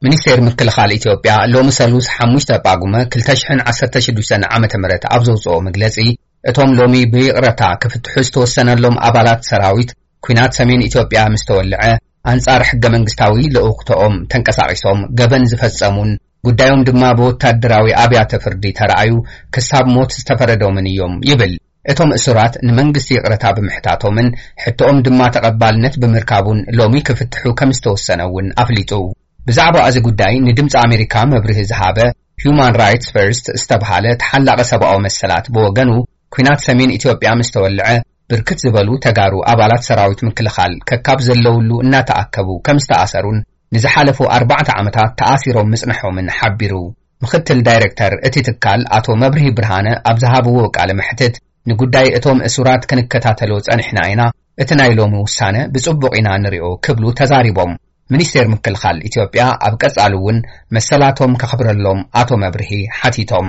ሚኒስቴር ምክልኻል ኢትዮጵያ ሎሚ ሰሉስ ሓሙሽተ ጳጉመ ክልተ ሽሕን ዓሰርተ ሽዱሽተን ዓመተ ምህረት ኣብ ዘውፅኦ መግለፂ፣ እቶም ሎሚ ብይቕረታ ክፍትሑ ዝተወሰነሎም ኣባላት ሰራዊት፣ ኲናት ሰሜን ኢትዮጵያ ምስ ተወልዐ ኣንጻር ሕገ መንግስታዊ ልኡኽቶኦም ተንቀሳቒሶም ገበን ዝፈጸሙን ጉዳዮም ድማ ብወታደራዊ ኣብያተ ፍርዲ ተራእዩ ክሳብ ሞት ዝተፈረዶምን እዮም ይብል። እቶም እሱራት ንመንግስቲ ይቕረታ ብምሕታቶምን ሕቶኦም ድማ ተቐባልነት ብምርካቡን ሎሚ ክፍትሑ ከም ዝተወሰነ እውን ኣፍሊጡ። ብዛዕባ እዚ ጉዳይ ንድምፂ ኣሜሪካ መብርሂ ዝሃበ ሂዩማን ራይትስ ፈርስት ዝተብሃለ ተሓላቒ ሰብኣዊ መሰላት ብወገኑ፣ ኲናት ሰሜን ኢትዮጵያ ምስ ተወልዐ ብርክት ዝበሉ ተጋሩ ኣባላት ሰራዊት ምክልኻል ከካብ ዘለውሉ እናተኣከቡ ከም ዝተኣሰሩን ንዝሓለፉ ኣርባዕተ ዓመታት ተኣሲሮም ምጽንሖምን ሓቢሩ። ምኽትል ዳይሬክተር እቲ ትካል ኣቶ መብርሂ ብርሃነ ኣብ ዝሃብዎ ቃለ መሕትት፣ ንጉዳይ እቶም እሱራት ክንከታተሎ ጸኒሕና ኢና፣ እቲ ናይ ሎሚ ውሳነ ብጽቡቕ ኢና ንሪኦ ክብሉ ተዛሪቦም። ሚኒስቴር ምክልኻል ኢትዮጵያ ኣብ ቀጻሊ እውን መሰላቶም ከኽብረሎም ኣቶ መብርሂ ሓቲቶም።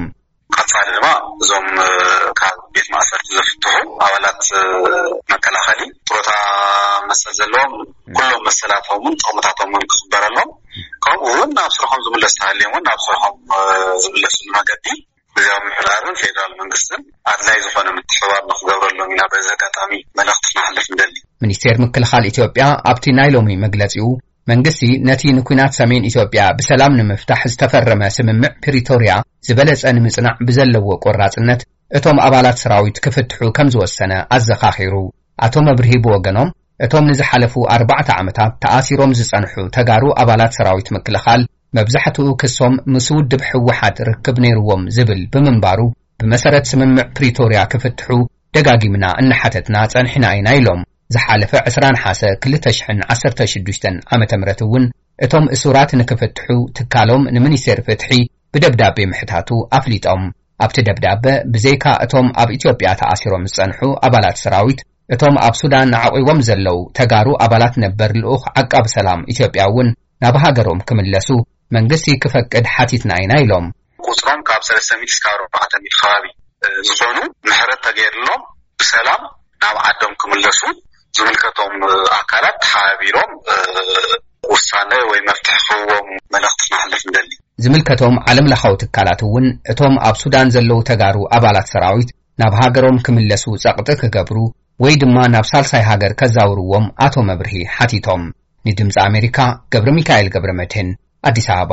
ቀጻሊ ድማ እዞም ካብ ቤት ማእሰርቲ ዘፍትሑ ኣባላት መከላኸሊ ጥሮታ መሰል ዘለዎም ኩሎም መሰላቶምን ጥቕምታቶምን ክኽበረሎም፣ ከምኡ እውን ናብ ስርሖም ዝምለስ ተሃልዮም እውን ናብ ስርሖም ዝምለስሉ መገዲ ግዝያዊ ምምሕዳርን ፌደራል መንግስትን ኣድላይ ዝኾነ ምትሕብባር ንክገብረሎም ኢና በዚ ኣጋጣሚ መልእኽቲ ክነሕልፍ ንደሊ። ሚኒስቴር ምክልኻል ኢትዮጵያ ኣብቲ ናይ ሎሚ መግለጺኡ፣ መንግስቲ ነቲ ንኲናት ሰሜን ኢትዮጵያ ብሰላም ንምፍታሕ ዝተፈረመ ስምምዕ ፕሪቶርያ ዝበለጸ ንምጽናዕ ብዘለዎ ቆራጽነት እቶም ኣባላት ሰራዊት ክፍትሑ ከም ዝወሰነ ኣዘኻኺሩ። ኣቶ መብርሂ ብወገኖም፣ እቶም ንዝሓለፉ ኣርባዕተ ዓመታት ተኣሲሮም ዝጸንሑ ተጋሩ ኣባላት ሰራዊት ምክልኻል መብዛሕትኡ ክሶም ምስ ውድብ ህወሓት ርክብ ነይርዎም ዝብል ብምንባሩ፣ ብመሰረት ስምምዕ ፕሪቶርያ ክፍትሑ ደጋጊምና እናሓተትና ጸኒሕና ኢና ኢሎም። ዝሓለፈ ዕስራ ነሓሰ ክልተ ሽሕን ዓሰርተ ሽዱሽተን ዓመተ ምህረት እውን እቶም እሱራት ንክፍትሑ ትካሎም ንሚኒስቴር ፍትሒ ብደብዳቤ ምሕታቱ ኣፍሊጦም። ኣብቲ ደብዳበ ብዘይካ እቶም ኣብ ኢትዮጵያ ተኣሲሮም ዝጸንሑ ኣባላት ሰራዊት፣ እቶም ኣብ ሱዳን ኣዕቂቦም ዘለዉ ተጋሩ ኣባላት ነበር ልኡኽ ዓቃቢ ሰላም ኢትዮጵያ እውን ናብ ሃገሮም ክምለሱ መንግስቲ ክፈቅድ ሓቲትና ኢና ኢሎም። ቁጽሮም ካብ ሰለስተ ሚእቲ እስካብ ኣርባዕተ ሚእቲ ከባቢ ዝኾኑ ምሕረት ተገይርሎም ብሰላም ናብ ዓዶም ክምለሱ ዝምልከቶም ኣካላት ተሓባቢሮም ውሳነ ወይ መፍትሒ ክህብዎም መልእኽቲ ክነሕልፍ ንደሊ። ዝምልከቶም ዓለም ለኻዊ ትካላት እውን እቶም ኣብ ሱዳን ዘለዉ ተጋሩ ኣባላት ሰራዊት ናብ ሃገሮም ክምለሱ ጸቕጢ ክገብሩ ወይ ድማ ናብ ሳልሳይ ሃገር ከዛውርዎም ኣቶ መብርሂ ሓቲቶም። ንድምፂ ኣሜሪካ ገብረ ሚካኤል ገብረ መድህን፣ ኣዲስ ኣበባ።